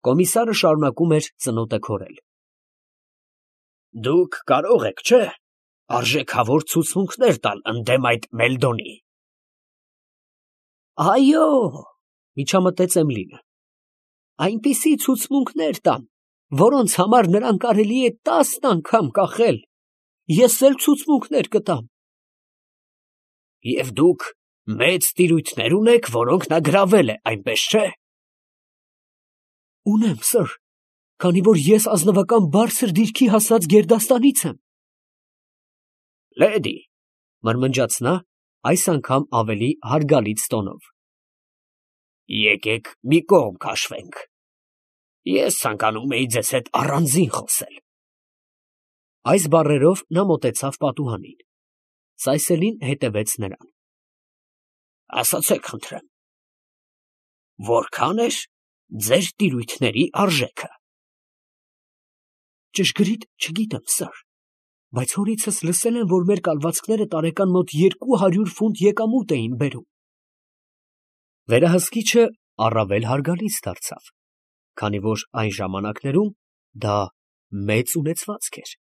Կոմիսարը շարունակում էր ծնոտը քորել։ Դուք կարող եք, չէ՞, արժեքավոր ցուցմունքներ տալ ընդդեմ այդ Մելդոնի։ Այո, միջամտեց Էմիլին, այնպիսի ցուցմունքներ տամ, որոնց համար նրան կարելի է 10 անգամ կախել։ Ես էլ ցուցմունքներ կտամ։ Եվ դուք մեծ տիրույթներ ունեք, որոնք նա գրավել է, այնպես չէ։ Ունեմ, սըր, քանի որ ես ազնվական բարձր դիրքի հասած գերդաստանից եմ։ Լեդի, մրմնջաց նա, այս անգամ ավելի հարգալից տոնով։ Եկեք մի կողմ քաշվենք։ Ես ցանկանում էի ձեզ հետ առանձին խոսել։ Այս բառերով նա մոտեցավ պատուհանին։ Սայսելին հետևեց նրան։ Ասացեք, խնդրեմ, որքան էր ձեր տիրույթների արժեքը։ Ճշգրիտ չգիտեմ, սըր, բայց հորիցս լսել եմ, որ մեր կալվածքները տարեկան մոտ 200 ֆունտ եկամուտ էին բերում։ Վերահսկիչը առավել հարգալից դարձավ, քանի որ այն ժամանակներում դա մեծ ունեցվածք էր։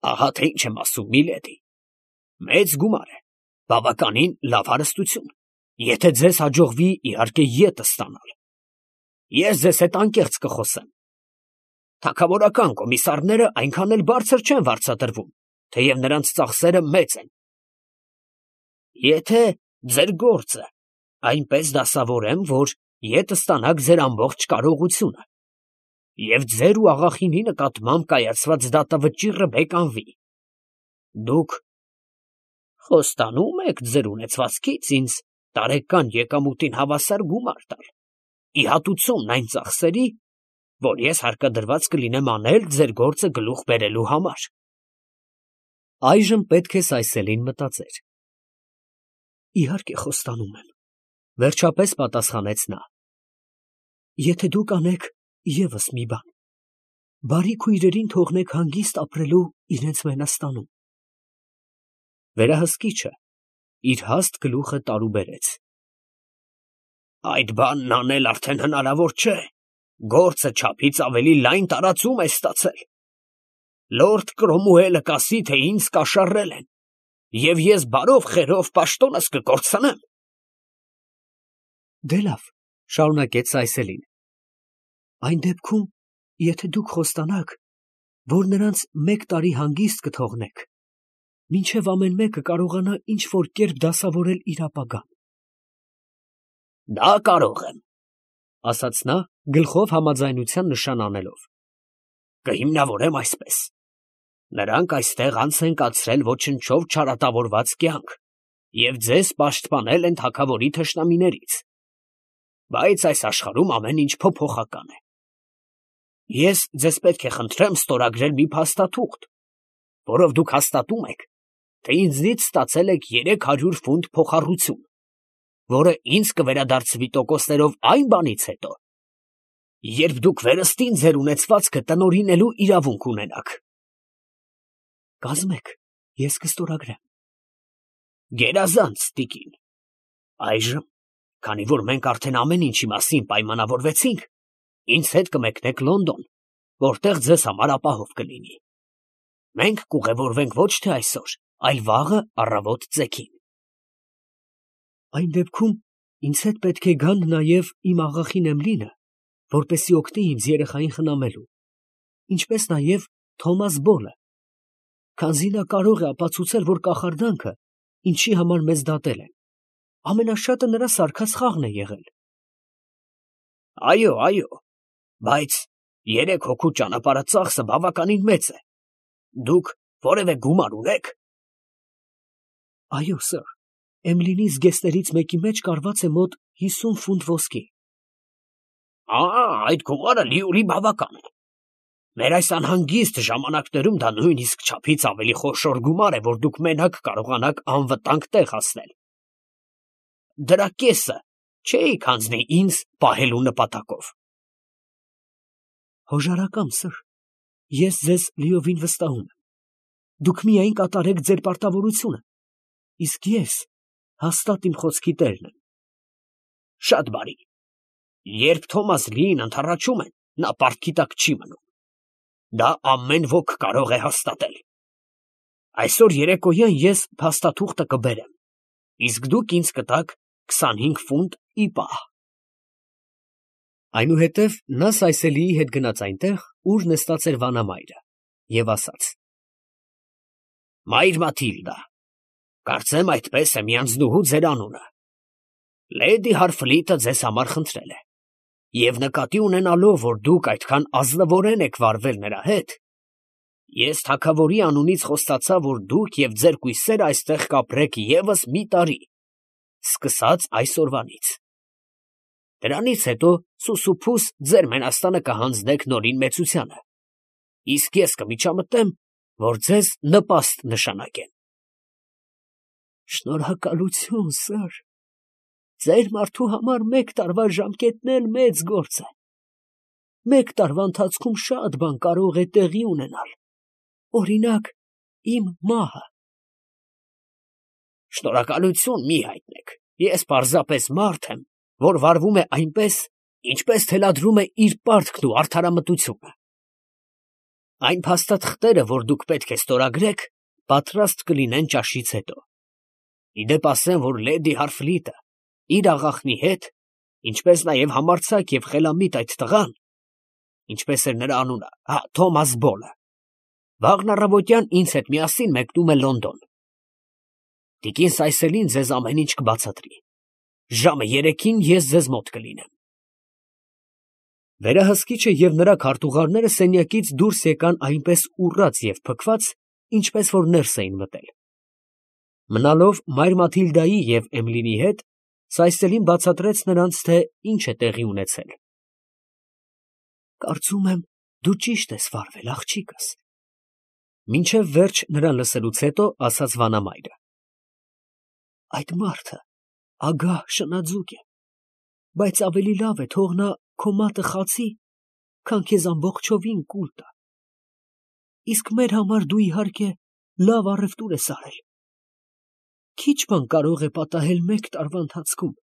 Ահա թե ինչ եմ ասում, միլեդի, մեծ գումար է, բավականին լավ հարստություն, եթե ձեզ հաջողվի իհարկե ետը ստանալ։ Ես ձեզ հետ անկեղծ կխոսեմ։ Թագավորական կոմիսարները այնքան էլ բարձր չեն վարձատրվում, թեև նրանց ծախսերը մեծ են։ Եթե ձեր գործը այնպես դասավորեմ, որ ետը ստանաք ձեր ամբողջ կարողությունը, և ձեր ու աղախինի նկատմամբ կայացված դատավճիռը բեկանվի, դուք խոստանում եք ձեր ունեցվածքից ինձ տարեկան եկամուտին հավասար գումար տալ, ի հատուցումն այն ծախսերի, որ ես հարկադրված կլինեմ անել ձեր գործը գլուխ բերելու համար։ Այժմ պետք է Սայսելին մտածեր։ Իհարկե խոստանում եմ, վերջապես պատասխանեց նա։ Եթե դուք անեք ևս մի բան, բարի քույրերին թողնեք հանգիստ ապրելու իրենց մենաստանում։ Վերահսկիչը իր հաստ գլուխը տարուբերեց։ Այդ բանն անել արդեն հնարավոր չէ, գործը չափից ավելի լայն տարածում է ստացել։ Լորդ Կրոմուելը կասի, թե ինձ կաշառել են, և ես բարով խերով պաշտոնս կկորցնեմ։ Դե լավ, շարունակեց Սայսելին, այն դեպքում, եթե դուք խոստանաք, որ նրանց 1 տարի հանգիստ կթողնեք, մինչև ամեն մեկը կարողանա ինչ-որ կերպ դասավորել իր ապագան։ Դա կարող եմ, ասաց նա, գլխով համաձայնության նշան անելով։ Կհիմնավորեմ այսպես. նրանք այստեղ անց են կացրել ոչնչով չարատավորված կյանք և ձեզ պաշտպանել են թագավորի թշնամիներից, բայց այս աշխարհում ամեն ինչ փոփոխական է։ Ես ձեզ պետք է խնդրեմ ստորագրել մի փաստաթուղթ, որով դուք հաստատում եք, թե ինձնից ստացել եք 300 ֆունտ փոխառություն, որը ինձ կվերադարձվի տոկոսներով այն բանից հետո, երբ դուք վերստին ձեր ունեցվածքը տնօրինելու իրավունք ունենաք։ Կազմեք, ես կստորագրեմ։ Գերազանց, տիկին։ Այժմ, քանի որ մենք արդեն ամեն ինչի մասին պայմանավորվեցինք, ինձ հետ կմեկնեք Լոնդոն, որտեղ ձեզ համար ապահով կլինի։ Մենք կուղևորվենք ոչ թե այսօր, այլ վաղը առավոտ ծեքին։ Այն դեպքում ինձ հետ պետք է գան նաև իմ աղախին Էմլինը, որպեսզի օգնի ինձ երեխային խնամելու, ինչպես նաև Թոմաս Բոլը, քանզի նա կարող է ապացուցել, որ կախարդանքը, ինչի համար մեզ դատել են, ամենաշատը նրա սարքած խաղն է եղել։ Այո, այո, բայց 3 հոգու ճանապարհածախսը բավականին մեծ է։ Դուք որևէ գումար ունեք։ Այո, սըր, Էմլինի զգեստներից մեկի մեջ կարված է մոտ 50 ֆունտ ոսկի։ Այդ գումարը լիուրի բավական է։ Մեր այս անհանգիստ ժամանակներում դա նույնիսկ չափից ավելի խոշոր գումար է, որ դուք մենակ կարողանաք անվտանգ տեղ հասնել։ Դրա կեսը չէիք հանձնի ինձ պահելու նպատակով։ Հոժարակամ, սըր, ես ձեզ լիովին վստահում եմ։ Դուք միայն կատարեք ձեր պարտավորությունը, իսկ ես հաստատ իմ խոսքի տերն եմ։ Շատ բարի։ Երբ Թոմաս Լիին ընդառաջում են, նա պարտքի տակ չի մնում։ Դա ամեն ոք կարող է հաստատել։ Այսօր երեկոյան ես փաստաթուղթը կբերեմ, իսկ դուք ինձ կտաք 25 ֆունտ ի պահ։ Այնուհետև նա Սայսելիի հետ գնաց այնտեղ, ուր նստած էր վանամայրը, և ասաց. «Մայր Մաթիլդա, կարծեմ այդպես է մի անձնուհու ձեր անունը։ Լեդի Հարֆլիտը ձեզ համար խնդրել է, և նկատի ունենալով, որ դուք այդքան ազնվորեն եք վարվել նրա հետ, ես թագավորի անունից խոստացա, որ դուք և ձեր կույսերը այստեղ կապրեք ևս մի տարի, սկսած այսօրվանից։ Դրանից հետո սուսուփուս ձեր մենաստանը կհանձնեք նորին մեծությանը, իսկ ես կմիջամտեմ, որ ձեզ նպաստ նշանակեմ»։ «Շնորհակալություն, սըր, ձեր մարդու համար 1 տարվա ժամկետն էլ մեծ գործ է։ 1 տարվա ընթացքում շատ բան կարող է տեղի ունենալ, օրինակ, իմ մահը»։ «Շնորհակալություն մի հայտնեք, ես պարզապես մարդ եմ, որ վարվում է այնպես, ինչպես թելադրում է իր պարտքն ու արդարամտությունը։ Այն փաստաթղթերը, որ դուք պետք է ստորագրեք, պատրաստ կլինեն ճաշից հետո։ Ի դեպ ասեմ, որ Լեդի Հարֆլիտը իր աղախնի հետ, ինչպես նաև համարձակ և խելամիտ այդ տղան, ինչպես էր նրա անունը, Թոմաս Բոլը, վաղն առավոտյան ինձ հետ միասին մեկնում է Լոնդոն։ Տիկին Սայսելին ձեզ ամեն ինչ կբացատրի։ Ժամը 3-ին ես ձեզ մոտ կլինեմ»։ Վերահսկիչը և նրա քարտուղարները սենյակից դուրս եկան այնպես ուռած և փքված, ինչպես որ ներս էին մտել։ Մնալով մայր Մաթիլդայի և Էմլինի հետ, Սայսելին բացատրեց նրանց, թե ինչ է տեղի ունեցել։ «Կարծում եմ, դու ճիշտ ես վարվել, աղջիկս», մինչև վերջ նրան լսելուց հետո ասաց վանամայրը։ «Այդ մարդը ագահ շնաձուկ է, բայց ավելի լավ է թող նա քո մատը խացի, քան քեզ ամբողջովին կուլ տա։ Իսկ մեր համար դու իհարկե լավ առևտուր ես արել։ Քիչ բան կարող է պատահել 1 տարվա ընթացքում։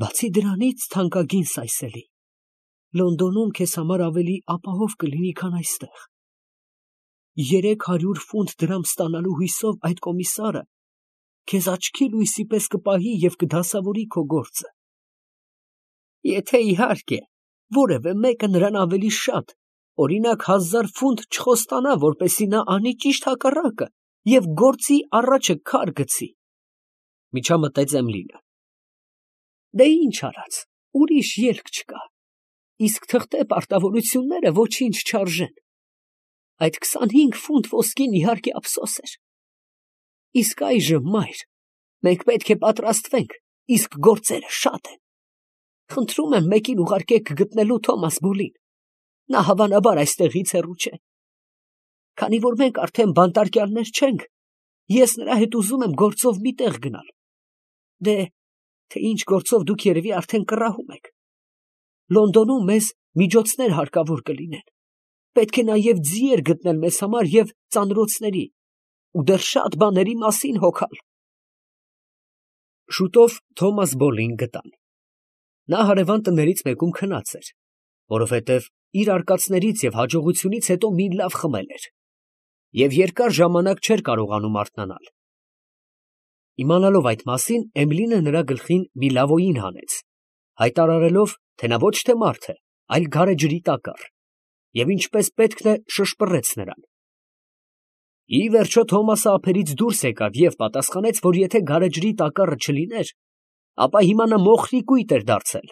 Բացի դրանից, թանկագին Սայսելի, Լոնդոնում քեզ համար ավելի ապահով կլինի, քան այստեղ։ 300 ֆունտ դրամ ստանալու հույսով այդ կոմիսարը քեզ աչքի լույսի պես կպահի և կդասավորի քո գործը։ Եթե իհարկե որևէ մեկը նրան ավելի շատ, օրինակ 1000 ֆունտ չխոստանա, որպեսզի նա անի ճիշտ հակառակը և գործի առաջը քար գցի», միջամտեց Էմլինը։ «Դե ինչ արած, ուրիշ ելք չկա, իսկ թղթե պարտավորությունները ոչինչ չարժեն։ Այդ 25 ֆունտ ոսկին իհարկե ափսոս էր։ Իսկ այժմ, մայր, մենք պետք է պատրաստվենք, իսկ գործերը շատ են։ Խնդրում եմ մեկին ուղարկեք գտնելու Թոմաս Բոլին, նա հավանաբար այստեղից հեռու չէ։ Քանի որ մենք արդեն բանտարկյալներ չենք, ես նրա հետ ուզում եմ գործով մի տեղ գնալ։ Դե, թե ինչ գործով դուք երևի արդեն կռահում եք։ Լոնդոնում մեզ միջոցներ հարկավոր կլինեն, պետք է նաև ձիեր գտնել մեզ համար և ծանրոցների, ու դեռ շատ բաների մասին հոգալ»։ Շուտով Թոմաս Բոլին գտան։ Նա հարևան տներից մեկում քնած էր, որովհետև իր արկածներից և հաջողությունից հետո մի լավ խմել էր, և երկար ժամանակ չէր կարողանում արթնանալ։ Իմանալով այդ մասին, Էմլինը նրա գլխին մի լավոյին հանեց, հայտարարելով, թե նա ոչ թե մարդ է, այլ գարեջրի տակառ, և ինչպես պետք է շշպռեց նրան։ Ի վերջո Թոմասը ափերից դուրս եկավ և պատասխանեց, որ եթե գարեջրի տակառը չլիներ, ապա հիմա նա մոխրի կույտ էր դարձել։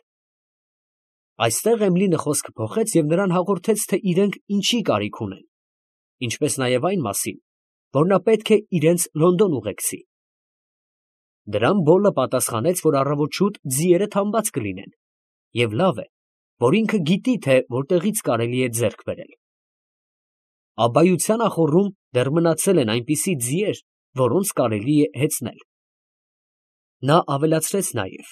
Այստեղ Էմլինը խոսքը փոխեց և նրան հաղորդեց, թե իրենք ինչի կարիք ունեն, ինչպես նաև այն մասին, որ նա պետք է իրենց Լոնդոն ուղեկցի։ Դրան Բոլը պատասխանեց, որ առավոտ շուտ ձիերը թամբած կլինեն, և լավ է, որ ինքը գիտի, թե որտեղից կարելի է ձեռք բերել։ Աբայության ախոռում դեռ մնացել են այնպիսի ձիեր, որոնց կարելի է հեծնել։ Նա ավելացրեց նաև,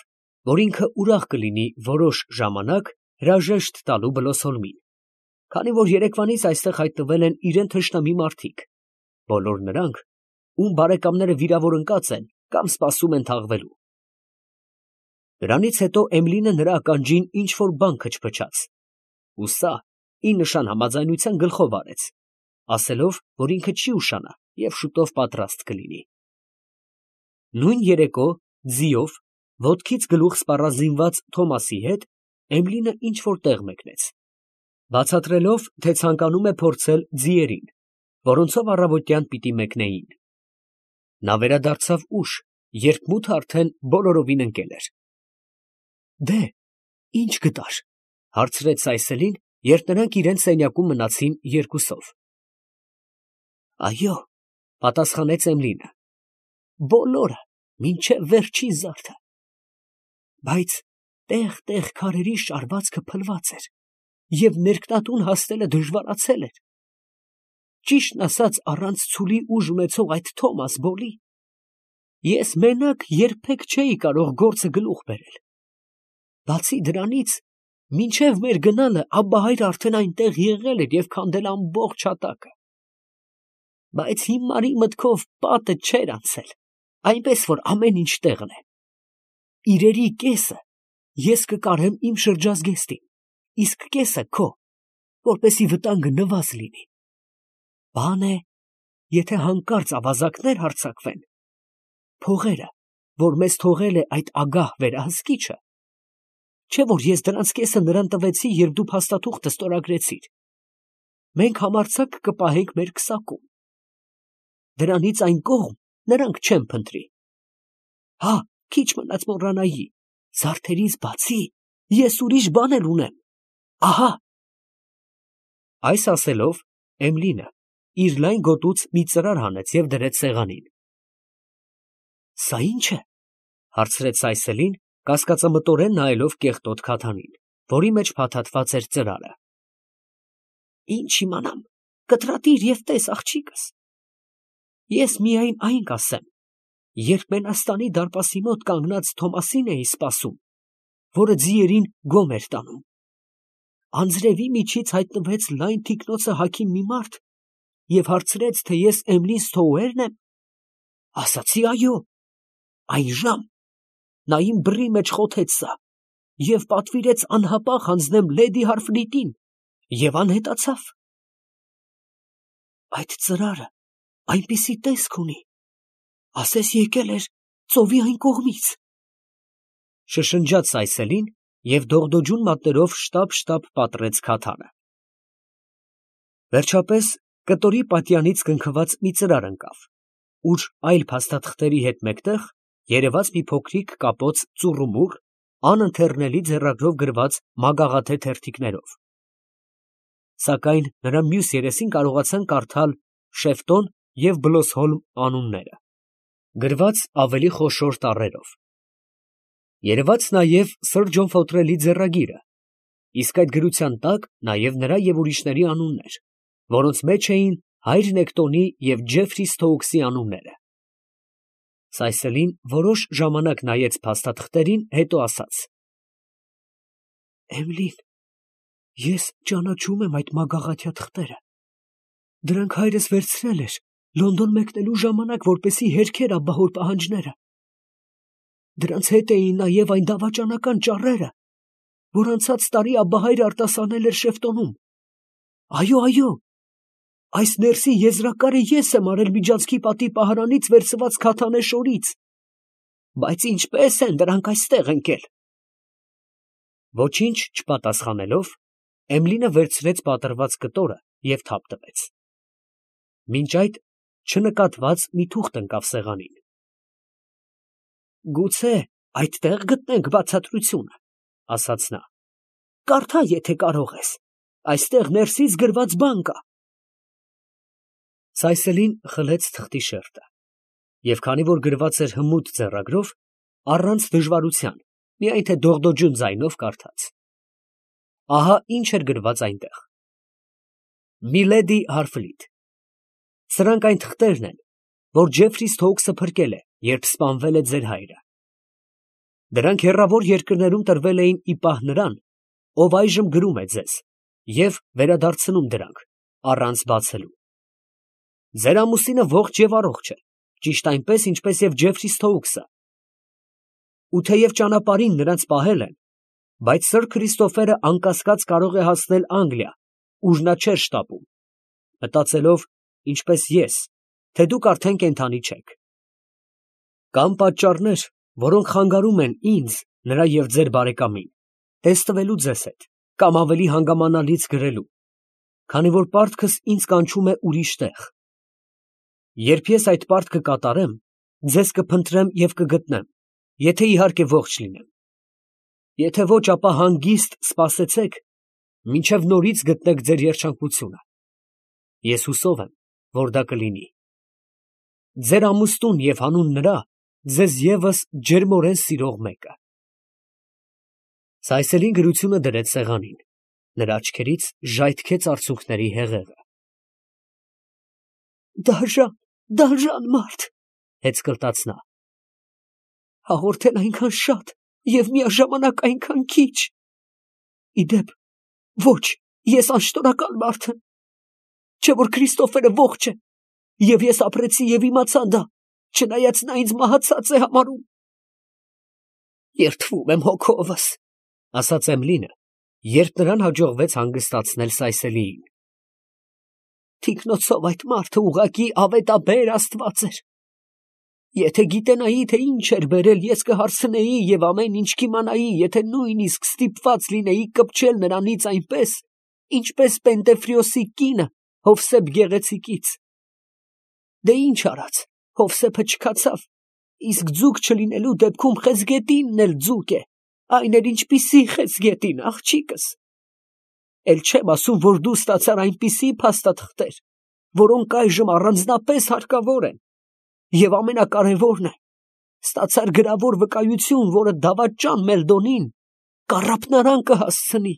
որ ինքը ուրախ կլինի որոշ ժամանակ հրաժեշտ տալու Բլոսսոլմին, քանի որ երեկվանից այստեղ հայտնվել են իրան թշնամի մարդիկ, բոլոր նրանք, ում բարեկամները վիրավոր ընկած են կամ սպասում են թաղվելու։ Դրանից հետո Էմլինը նրա ականջին ինչ֊որ բան քչփչաց, ու սա ի նշան համաձայնության գլխով արեց, ասելով, որ ինքը չի ուշանա և շուտով պատրաստ կլինի։ Նույն երեկո ձիով, ոտքից գլուխ սպառազինված Թոմասի հետ Էմլինը ինչ֊որ տեղ մեկնեց, բացատրելով, թե ցանկանում է փորձել ձիերին, որոնցով առավոտյան պիտի մեկնեին։ Նա վերադարձավ ուշ, երբ մութը արդեն բոլորովին ընկել էր։ «Դե, ի՞նչ գտար», ֊ հարցրեց Սայսելին, երբ նրանք իրենց սենյակում մնացին երկուսով։ «Այո», ֊ պատասխանեց Էմլինը, «բոլորը, մինչև վերջին զարդը, բայց տեղ֊տեղ քարերի շարվածքը փլված էր, և ներքնատուն հասնելը դժվարացել էր։ Ճիշտն ասած, առանց ցուլի ուժ ունեցող այդ Թոմաս Բոլի ես մենակ երբեք չէի կարող գործը գլուխ բերել։ Բացի դրանից, մինչև մեր գնալը Աբբահայրը արդեն այնտեղ եղել էր և քանդել ամբողջ հատակը։ Բայց հիմարի մտքով պատը չէր անցել, այնպես որ ամեն ինչ տեղն է։ Իրերի կեսը ես կկարեմ իմ շրջազգեստին, իսկ կեսը քո, որպեսզի վտանգը նվազ լինի։ Բան է, եթե հանկարծ ավազակներ հարձակվեն, փողերը, որ մեզ թողել է այդ ագահ վերահսկիչը, չէ որ ես դրանց կեսը նրան տվեցի, երբ դու փաստաթուղթը ստորագրեցիր, մենք համարձակ կպահենք մեր քսակում։ Դրանից այն կողմ նրանք չեն փնտրի։ Հա, քիչ մնաց մոռանայի, զարդերից բացի ես ուրիշ բան էլ ունեմ, ահա։ Այս ասելով, Էմլինը իր լայն գոտուց մի ծրար հանեց և դրեց սեղանին։ «Սա ի՞նչ է», ֊ հարցրեց Սայսելին, կասկածամտորեն նայելով կեղտոտ քաթանին, որի մեջ փաթաթված էր ծրարը։ «Ինչ իմանամ, կտրատիր և տես, աղջիկս։ Ես միայն այն կասեմ, երբ Մենաստանի դարպասի մոտ կանգնած Թոմասին էի սպասում, որը ձիերին գոմ էր տանում, անձրևի միջից հայտնվեց լայն թիկնոցը հագին մի մարդ և հարցրեց, թե ես Էմլին Սթոուերն եմ, ասացի այո, այն ժամ նա իմ բռի մեջ խոթեց սա և պատվիրեց անհապաղ հանձնեմ լեդի Հարֆլիտին և անհետացավ։ Այդ ծրարը այնպիսի տեսք ունի, ասես եկել էր ծովի այն կողմից, ֊ շշնջաց Սայսելին և դողդոջուն մատներով շտապ պատռեց քաթանը։ Վերջապես կտորի պատյանից կնքված մի ծրար ընկավ, ուր այլ փաստաթղթերի հետ մեկտեղ երևաց մի փոքրիկ կապոց ծուռումուռ, անընթեռնելի ձեռագրով գրված մագաղաթե թերթիկներով։ Սակայն նրա մյուս երեսին կարողացան կարդալ Շեֆտոն և Բլոսհոլմ անունները, գրված ավելի խոշոր տառերով։ Երևաց նաև սըր Ջոն Ֆոթրելի ձեռագիրը, իսկ այդ գրության տակ նաև նրա և ուրիշների անուններ, որոնց մեջ էին հայր Նեկտոնի և Ջեֆրի Սթոուքսի անունները։ Սայսելին որոշ ժամանակ նայեց փաստաթղթերին, հետո ասաց. «Էմլին, ես ճանաչում եմ այդ մագաղաթյա թղթերը. դրանք հայրս վերցրել էր Լոնդոն մեկնելու ժամանակ, որպեսզի հերքեր աբահոր պահանջները։ Դրանց հետ էին նաև այն դավաճանական ճառերը, որ անցած տարի աբբահայրը արտասանել էր Շեֆտոնում։ Այո, այս ներսի եզրակարը ես եմ արել Միջանցքի պատի պահարանից վերցված քաթանե շորից, բայց ինչպե՞ս են դրանք այստեղ ընկել»։ Ոչինչ չպատասխանելով, Էմլինը վերցրեց պատռված կտորը և թափ տվեց։ Մինչ այդ չնկատված մի թուղթ ընկավ սեղանին։ «Գուցե այդտեղ գտնենք բացատրությունը, ֊ ասաց նա, ֊ կարդա, եթե կարող ես, այստեղ ներսից գրված բան կա»։ Սայսելին խլեց թղթի շերտը և քանի որ գրված էր հմուտ ձեռագրով, առանց դժվարության, միայն թե դողդոջուն ձայնով կարդաց։ Ահա ինչ էր գրված այնտեղ. «Միլեդի Հարֆլիտ. Սրանք այն թղթերն են, որ Ջեֆրի Սթոուքսը փրկել է, երբ սպանվել է ձեր հայրը։ Դրանք հեռավոր երկրներում տրվել էին ի պահ նրան, ով այժմ գրում է ձեզ և վերադարձնում դրանք, առանց բացելու։ Ձեր ամուսինը ողջ և առողջ է, ճիշտ այնպես, ինչպես և Ջեֆրի Սթոուքսը։ ու թեև ճանապարհին նրանց պահել են, բայց սըր Քրիստոֆերը անկասկած կարող է հասնել Անգլիա, ուր նա չէր շտապում, մտածելով, ինչպես ես, թե դուք արդեն կենդանի չեք։ Կան պատճառներ, որոնք խանգարում են ինձ, նրա և ձեր բարեկամին, տեսնվելու ձեզ հետ, կամ ավելի հանգամանալից գրելու, քանի որ պարտքս ինձ կանչում է ուրիշ տեղ։ Երբ ես այդ պարտքը կատարեմ, ձեզ կփնտրեմ և կգտնեմ, եթե իհարկե ողջ լինեմ։ Եթե ոչ, ապա հանգիստ սպասեցեք, մինչև նորից գտնեք ձեր երջանկությունը։ Ես հուսով եմ, որ դա կլինի։ Ձեր ամուսնուն և հանուն նրա ձեզ ևս ջերմորեն սիրող մեկը։ Սայսելին գրությունը դրեց սեղանին, նրա աչքերից ժայթքեց արցունքների հեղեղը։ Դաժան մարդ, հեծկլտաց նա, հաղորդել այնքան շատ և միաժամանակ այնքան քիչ։ Իդեպ, ոչ, ես անշնորհակալ մարդ եմ, չէ՞ որ Քրիստոֆերը ողջ է, և ես ապրեցի և իմացա դա, չնայած նա ինձ մահացած է համարում։ Երդվում եմ հոգովս, ասաց Էմլինը, երբ նրան հաջողվեց հանգստացնել Սայսելիին։ Թիկնոցով այդ մարդը ուղղակի ավետաբեր աստված էր։ Եթե գիտենայի, թե ինչ էր բերել, ես կհարցնեի և ամեն ինչ կիմանայի, եթե նույնիսկ ստիպված լինեի կպչել նրանից այնպես, ինչպես Պենտեֆրիոսի կինը Հովսեփ Գեղեցիկից։ Դե ինչ արած, Հովսեփը չքացավ, իսկ ձուկ չլինելու դեպքում խեցգետինն էլ ձուկ է, այն էլ ինչպիսի խեցգետին, աղջիկս։ Էլ չեմ ասում, որ դու ստացար այնպիսի փաստաթղթեր, որոնք այժմ առանձնապես հարկավոր են, և ամենակարևորն է, ստացար գրավոր վկայություն, որը դավաճան Մելդոնին կառափնարան կհասցնի։